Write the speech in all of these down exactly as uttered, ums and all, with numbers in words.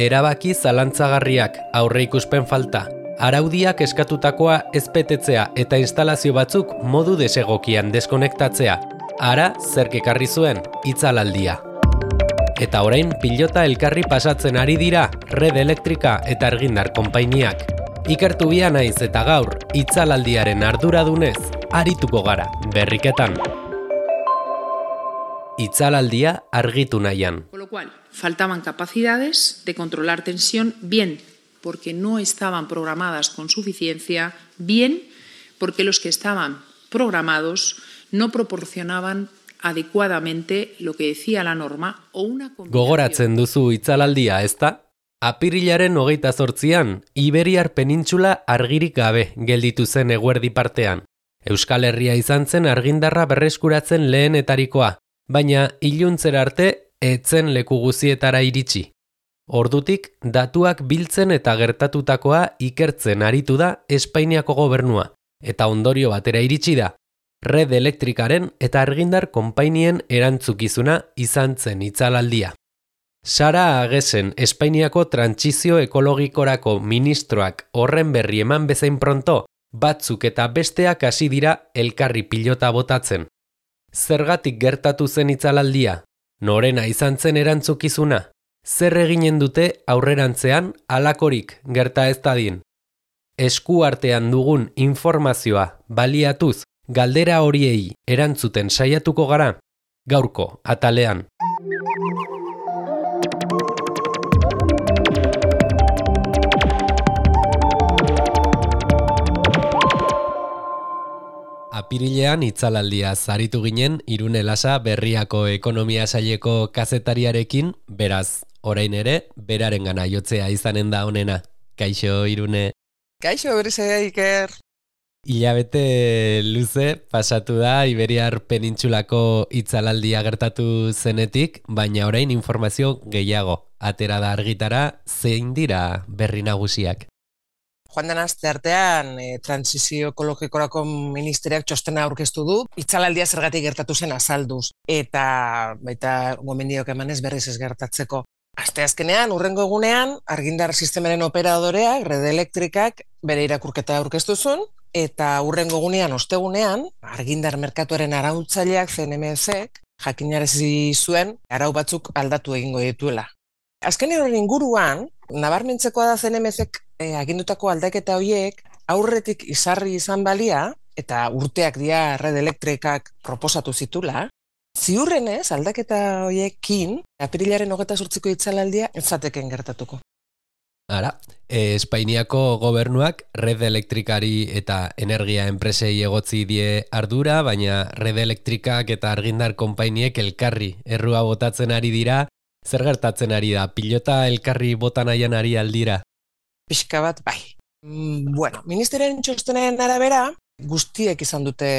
Erabaki zalantzagarriak, aurreikuspen falta, araudiak eskatutakoa ez betetzea eta instalazio batzuk modu desegokian deskonektatzea. Ara, zerk ekarri zuen, itzalaldia. Eta orain pilota elkarri pasatzen ari dira Red Elektrika eta Argindar konpainiak. Ikertu bia naiz eta gaur, itzalaldiaren arduradunez, arituko gara, berriketan. Itzalaldia argitu nahian. Con lo cual, faltaban capacidades de controlar tensión, bien porque no estaban programadas con suficiencia, bien porque los que estaban programados no proporcionaban adecuadamente lo que decía la norma o una combinación. Gogoratzen duzu itzalaldia, ezta? Apirilaren hogeita zortzian, Iberiar penintxula argirik gabe gelditu zen eguerdi partean. Euskal Herria izan zen argindarra berreskuratzen lehenetarikoa, baina iluntzera arte etzen leku guzietara iritsi. Ordutik, datuak biltzen eta gertatutakoa ikertzen aritu da Espainiako gobernua, eta ondorio batera iritsi da. Red Elektrikaren eta Argindar konpainien erantzukizuna izan zen itzalaldia. Sara Agesen, Espainiako trantsizio ekologikorako ministroak horren berri eman bezain pronto, batzuk eta besteak hasi dira elkarri pilota botatzen. Zergatik gertatu zen itzalaldia? Norena izan zen erantzukizuna? Zer eginen dute aurrerantzean halakorik gerta ez dadin? Esku artean dugun informazioa baliatuz galdera horiei erantzuten saiatuko gara, gaurko atalean. Apirilean itzalaldia zaritu ginen Irune Lasa Berriako ekonomia saileko kazetariarekin, beraz, orain ere, beraren gana jotzea izanen da honena. Kaixo, Irune. Kaixo, berrizea, Iker. Hilabete luze pasatu da Iberiar penintxulako itzalaldia gertatu zenetik, baina orain informazio gehiago. Atera da argitara, zein dira berri nagusiak. Joan den aste artean, e, Transizio Ekologikorako Ministeriak txostena aurkeztu du, itzalaldia zergatik gertatu zen azalduz, eta baita gomendiok emanez berriz ez gertatzeko. Aste azkenean, urrengo egunean, Argindar sistemaren operadoreak, Red Elektrikak, bere irakurketa aurkeztu zuen, eta urrengo egunean, ostegunean, Argindar merkatuaren arautzaileak C N M C-ek jakinarazi zuen arau batzuk aldatu egingo dituela. Azken horren inguruan, nabarmentzekoa da C N M C-ek e, agindutako aldaketa horiek aurretik izarri izan balia, eta urteak dira Red Elektrikak proposatu zitula, ziurrenez aldaketa horiekin apirilaren hogeita zortziko itzalaldia ez zateken gertatuko. Ara, e, Espainiako gobernuak Red Elektrikari eta energia enpresei egotzi die ardura, baina Red Elektrikak eta Argindar konpainiek elkarri errua botatzen ari dira. Zer gertatzen ari da? Pilota elkarri botan nahian ari aldira? Pixka bat, bai. Mm, bueno, ministerien txostenen arabera, guztiek izan dute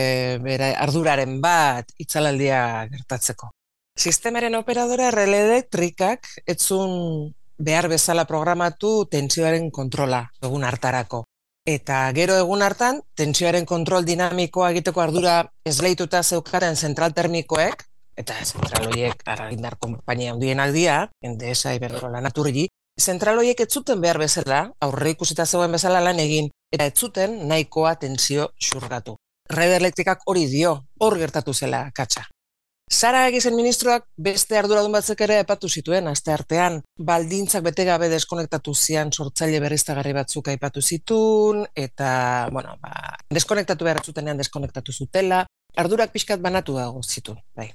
bere arduraren bat itzalaldia gertatzeko. Sistemaren operadora Red Elektrikak etzun behar bezala programatu tentsioaren kontrola egun hartarako. Eta gero egun hartan, tentsioaren kontrol dinamikoa egiteko ardura esleituta zeukaren zentral termikoek, eta zentral horiek Argindar konpainia handienak dira, Endesa, Iberdrola, Naturgy, zentral horiek ez zuten behar bezala, aurre ikusita zegoen bezala lan egin, eta ez zuten nahikoa tensio xurgatu. Red Elektrikak hori dio, hor gertatu zela katxa. Sara Agesen ministroak beste arduradun batzuk ere epatu zituen, aste artean, baldintzak bete gabe deskonektatu zian sortzaile berriztagarri batzuk aipatu zitun, eta, bueno, ba, deskonektatu behar zutenean deskonektatu zutela, ardurak pixkat banatu dago zituen, bai.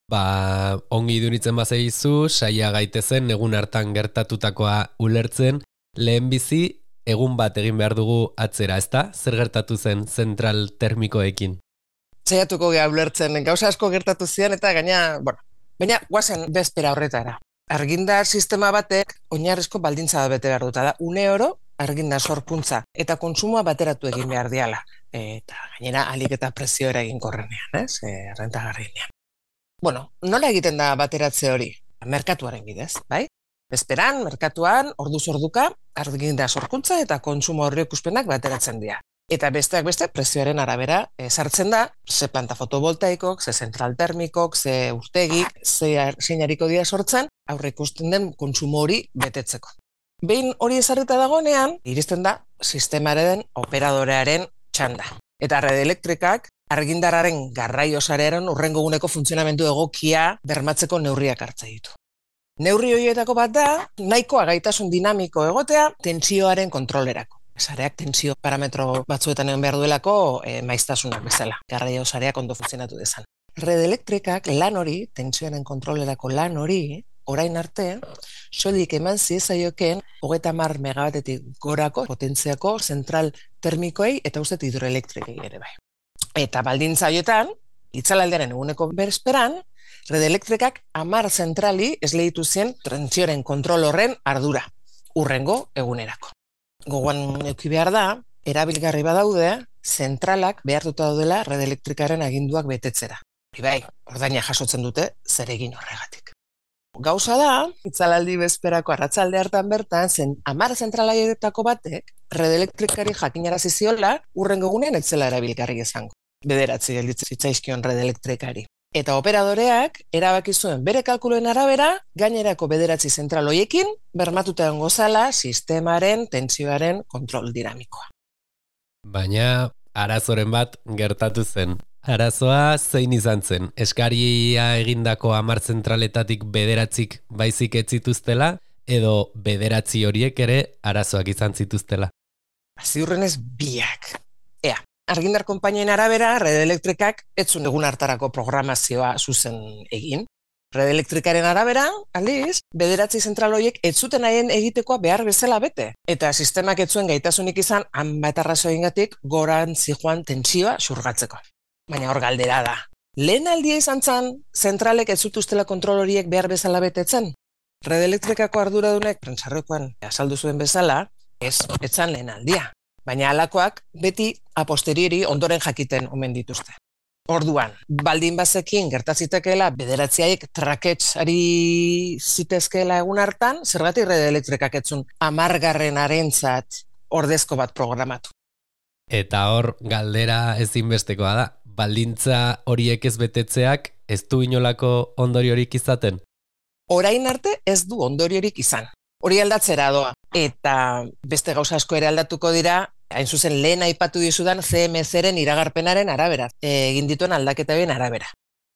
Ba, ongi iduritzen bazaizu, saia gaitezen egun hartan gertatutakoa ulertzen, lehenbizi egun bat egin behar dugu atzera, ezta? Zer gertatu zen zentral termikoekin? Saiatuko geha ulertzen, gauza asko gertatu zian eta gaina, bueno, baina guazen bezpera horretara. Argindar sistema batek oinarrizko baldintza bete behar duta da, une oro argindar sorkuntza eta kontsumoa bateratu egin behar diala. Eta gainera alik eta prezioera egin korrenean, ez? E, rentagarrinean. Bueno, nola egiten da bateratze hori? Merkatuaren bidez, bai? Bezperan, merkatuan, orduz orduka, argindar sorkuntza eta kontsumo horri ikuspenak bateratzen dira. Eta besteak beste prezioaren arabera sartzen da, ze planta fotovoltaikok, ze zentral termikok, ze urtegik, ze zeinariko dira sortzen, aurre ikusten den kontsumo hori betetzeko. Behin hori ezarrita dagoenean, iristen da sistemaren operadorearen txanda. Eta Red Elektrikak argindarraren garraio sarearen hurrengo eguneko funtzionamendu egokia bermatzeko neurriak hartzen ditu. Neurri horietako bat da, nahikoa gaitasun dinamiko egotea tentsioaren kontrolerako. Sareak tensio parametro batzuetan egon behar duelako e, maiztasunak bezala, garraio sareak ondo funtzionatu dezan. Red Elektrikak lan hori, tentsioaren kontrolerako lan hori, orain arte, soilik eman ziezaioken hogeita hamar megabatetik gorako potentziako zentral termikoei eta uste hidroelektrikei ere bai. Eta baldintza horietan, itzalaldearen eguneko bersperan, Red Elektrikak hamar zentrali esleitu zien tentsioaren kontrol horren ardura, urrengo egunerako. Gogoan eduki behar da, erabilgarri badaude, zentralak behartuta daudela Red Elektrikaren aginduak betetzera. Hori bai, ordaina jasotzen dute zeregin horregatik. Gauza da, itzalaldi bezperako arratsalde hartan bertan, zen hamar zentralaietako batek Red Elektrikari jakinarazi ziola urrengo egunean ez zela erabilgarri izango. Bederatzi gelditzen zitzaizkion Red Elektrikari. Eta operadoreak erabaki zuen bere kalkuluen arabera, gainerako bederatzi zentral hoiekin bermatuta egongo zela sistemaren tentsioaren kontrol dinamikoa. Baina arazoren bat gertatu zen. Arazoa zein izan zen? Eskaria egindako hamar zentraletatik bederatzik baizik ez zituztela, edo bederatzi horiek ere arazoak izan zituztela? Ziurrenez biak. Ea. Argindar konpainien arabera, Red Elektrikak ez zuen egun hartarako programazioa zuzen egin. Red Elektrikaren arabera, aldiz, bederatzi zentral horiek ez zuten haien egitekoa behar bezala bete. Eta sistemak ez zuen gaitasunik izan, hanbat arrazoiengatik goran zijoan tentsioa xurgatzeko. Baina hor galdera da. Lehen aldia izan zen, zentralek ez zutuztela kontrol horiek behar bezala betetzen. Red Elektrikako arduradunek, prentsarrokoan azaldu zuen bezala, ez, ez zan lehen aldia. Baina halakoak beti a posteriori ondoren jakiten omen dituzte. Orduan, baldin bazekin gertazitekeela bederatziaik trakets ari zitezkeela egun hartan, zergatik Red Elektrikak etzun amargarren arentzat ordezko bat programatu. Eta hor, galdera ezinbestekoa da, baldintza horiek ez betetzeak ez du inolako ondoriorik izaten? Orain arte ez du ondoriorik izan. Hori aldatzera doa. Eta beste gauza asko ere aldatuko dira, hain zuzen lehen aipatu dizudan C M C-ren iragarpenaren arabera, egin dituen aldaketa bien arabera.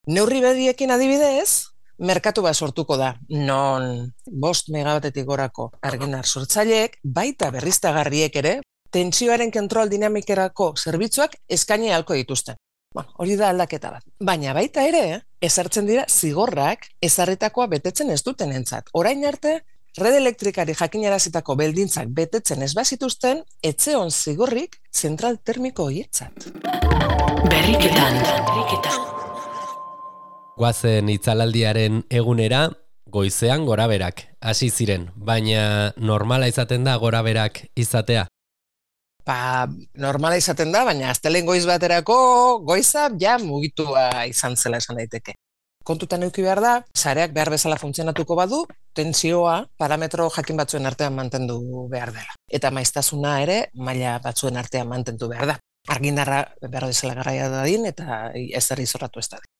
Neurri bediekin adibidez, merkatu bat sortuko da, non bost megabatetik gorako argindar sortzaileek, baita berriztagarriek ere, tentsioaren kontrol dinamikerako zerbitzuak eskaini ahalko dituzten. Bueno, hori da aldaketa bat. Baina baita ere, ezartzen dira zigorrak ezarritakoa betetzen ez dutenentzat. Orain arte, Red Elektrikari jakinarazitako beldintzak betetzen ez bazituzten, etzeon zigorrik zentral termiko horietzat. Berriketan. Goazen itzalaldiaren egunera, goizean goraberak hasi ziren, baina normala izaten da goraberak izatea? Ba, normala izaten da, baina astelen goiz baterako goiza ja mugitua izan zela esan daiteke. Kontutan eduki behar da, sareak behar bezala funtzionatuko badu, tentsioa parametro jakin batzuen artean mantendu behar dela. Eta maiztasuna ere, maila batzuen artean mantendu behar da. Argindarra behar bezala garraia dadin eta ezer izorratu ez dadin.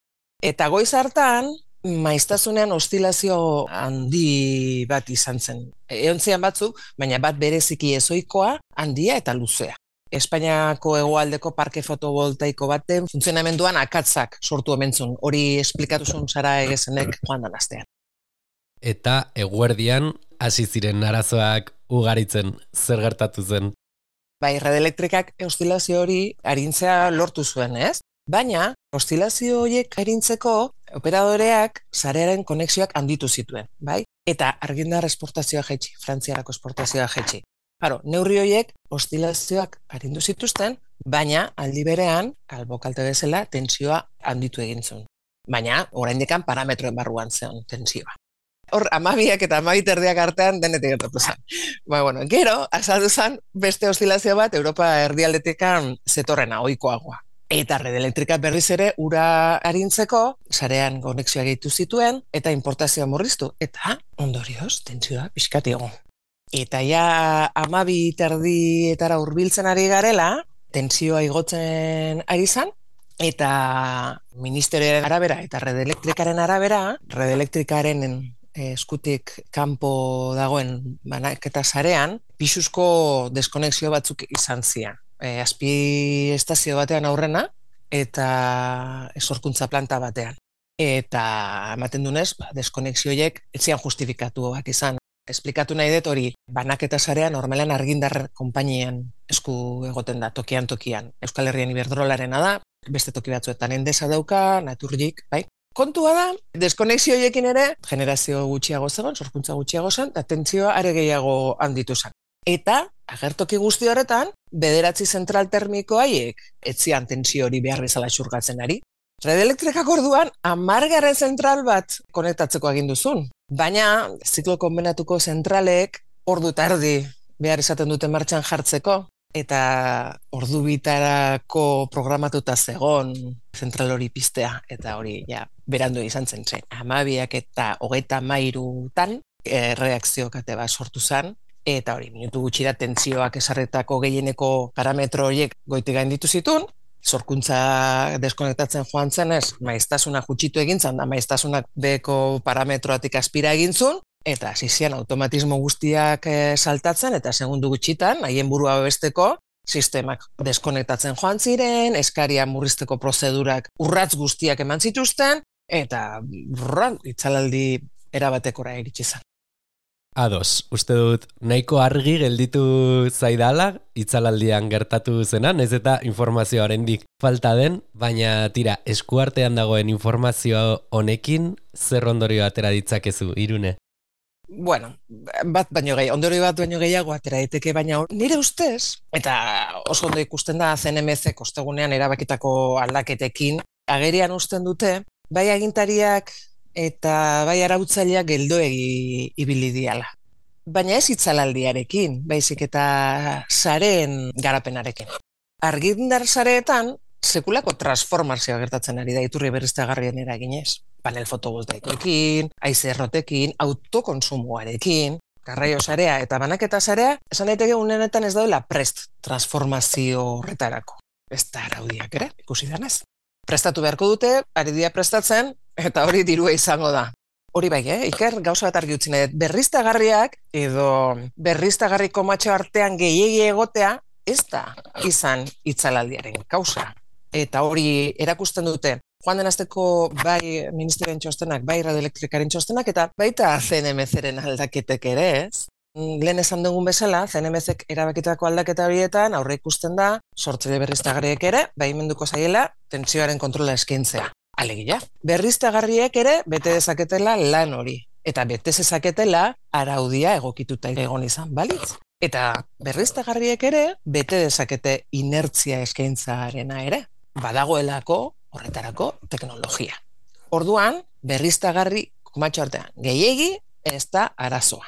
Eta goiz hartan, maiztasunean ostilazio handi bat izan zen. Eontzian batzuk, baina bat bereziki ezoikoa, handia eta luzea. Espainiako hegoaldeko parke fotovoltaiko baten funtzionamenduan akatzak sortu omentzun. Hori esplikatu zuen Sara Egesenek joan dan astean. Eta eguerdian hasi ziren arazoak ugaritzen, zer gertatu zen? Bai, Red Elektrikak ostilazio hori arintzea lortu zuen, ez? Baina, ostilazio horiek arintzeko operadoreak sarearen konexioak handitu zituen, bai? Eta argindar esportazioa jaitsi, Frantziarako esportazioa jaitsi. Claro, neurri horiek ostilazioak arindu zituzten, baina aldi berean, albo kalte bezala, tentsioa handitu egin zuen. Baina, oraindikan parametroen barruan zen tentsioa. Hor, amabiak eta amabiterdiak artean denetik gertatu zen. Ba, bueno, gero, azaldu zen beste ostilazio bat Europa erdialdetekan zetorrena, ohikoagoa. Eta Red Elektrika berriz ere ura arintzeko, sarean konexioa gehitu zituen, eta importazioa murriztu. Eta, ondorioz, tentsioa pixkat egon. Eta ja amabi terdietara hurbiltzen ari garela, tentsioa igotzen ari zan, eta ministerioaren arabera eta Red Elektrikaren arabera, Red Elektrikaren eskutik kanpo dagoen banaketa sarean, pisuzko deskonexio batzuk izan zian. E, azpi estazio batean aurrena, eta sorkuntza planta batean. Eta ematen dunez, ba, deskonexioiek etzian justifikatuak izan. Esplikatu nahi dut hori, banaketa sarea normalean argindar konpainien esku egoten da, tokian tokian. Euskal Herrian Iberdrolarena da, beste toki batzuetan Endesa dauka, Naturgik, bai? Kontua da, deskonexioiekin ere, generazio gutxiago zegoen, sorkuntza gutxiago zen, eta tentsioa are gehiago handitu zen. Eta, agertoki guzti horretan, bederatzi zentral termiko haiek etzian tentsio hori behar bezala xurgatzen ari. Red Elektrikak orduan, hamargarren zentral bat konektatzeko aginduzun. Baina, ziklo konbenatuko zentralek ordu tardi behar izaten dute martxan jartzeko, eta ordu bitarako programatuta zegon zentral hori piztea, eta hori ja, berandu izan zen zen. Hamabiak eta hogeita hamairutan e, reakzio kate bat sortu zen, eta hori, minutu gutxira tentsioak esarretako gehieneko parametro horiek goitik gainditu zituen, sorkuntza deskonektatzen joan zenez, maiztasuna gutxitu egin zan, da maiztasunak beko parametroatik aspira egin zuen, eta zizian automatismo guztiak e, saltatzen, eta segundu gutxitan, haien burua babesteko, sistemak deskonektatzen joan ziren, eskaria murrizteko prozedurak urratz guztiak eman zituzten, eta brrran, itzalaldi erabatekora iritsi zen. Ados, uste dut nahiko argi gelditu zaidala itzalaldian gertatu zenan, ez eta informazioa oraindik falta den, baina tira, eskuartean dagoen informazio honekin zer ondorio atera ditzakezu, Irune? Bueno, bat baino gehi, ondorio bat baino gehiago atera daiteke, baina nire ustez, eta oso ondo ikusten da C N M C ostegunean erabakitako aldaketekin, agerian uzten dute, bai agintariak eta bai arautzaileak geldoegi ibili diala. Baina ez itzalaldiarekin, baizik eta sareen garapenarekin. Argindar sareetan, sekulako transformazioa gertatzen ari da iturri berriztagarrien eraginez. Panel fotovoltaikoekin, haize errotekin, autokonsumoarekin, garraio sarea eta banaketa sarea, esan daiteke unenetan ez daudela prest transformazio horretarako. Ez da araudiak ere, ikusi denez. Prestatu beharko dute, ari dira prestatzen, eta hori dirua izango da. Hori bai, eh? Iker, gauza bat argi utzi nahi dut. Berriztagarriak edo berriztagarriko matxo artean gehiegi egotea, ez da izan itzalaldiaren kausa. Eta hori erakusten dute, joan den azteko bai ministerioen txostenak, bai Red Elektrikaren txostenak, eta baita C N M C-ren aldaketek ere, ez? Lehen esan dugun bezala, C N M C-ek erabakitako aldaketa horietan aurre ikusten da, sortzaile berriztagarriek ere, baimenduko zaiela, tentsioaren kontrola eskaintzea. Alegia, berriztagarriek ere bete dezaketela lan hori, eta bete dezaketela araudia egokituta egon izan, balitz? Eta berriztagarriek ere bete dezakete inertzia eskaintzarena ere, badagoelako horretarako teknologia. Orduan, berriztagarri komatxo artean gehiegi ez da arazoa.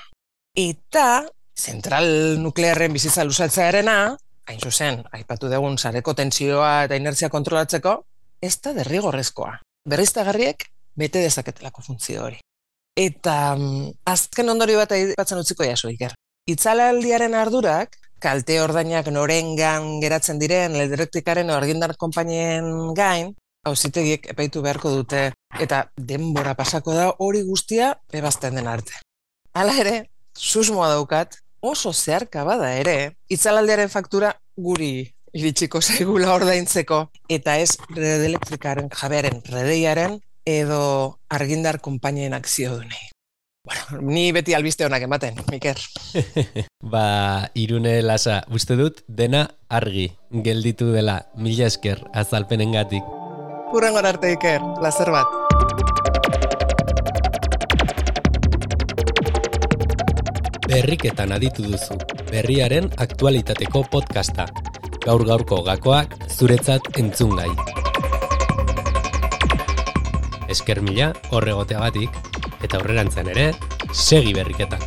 Eta zentral nuklearren bizitza luzatzearena, hain zuzen, aipatu dugun sareko tentsioa eta inertzia kontrolatzeko, ez da derrigorrezkoa. Berriztagarriek bete dezaketelako funtzio hori. Eta um, azken ondorio bat aipatzen utziko jaso, Iker. Itzalaldiaren ardurak, kalte ordainak norengan geratzen diren Red Elektrikaren argindar konpainien gain, auzitegiek epaitu beharko dute, eta denbora pasako da hori guztia ebazten den arte. Hala ere, susmoa daukat, oso zeharka bada ere, itzalaldiaren faktura guri iritsiko zaigula ordaintzeko, eta ez Red Elektrikaren jabearen redeiaren edo argindar konpainien akzio dunei. Bueno, ni beti albiste honak ematen, Miker. Ba, Irune Lasa, uste dut dena argi gelditu dela, mila esker azalpenengatik. Hurrengora arte, Iker, lazer bat. Berriketan aditu duzu, berriaren aktualitateko podcasta. Gaur-gaurko gakoak zuretzat entzungai. Esker mila horregoteagatik, eta aurrerantzen ere, segi berriketan.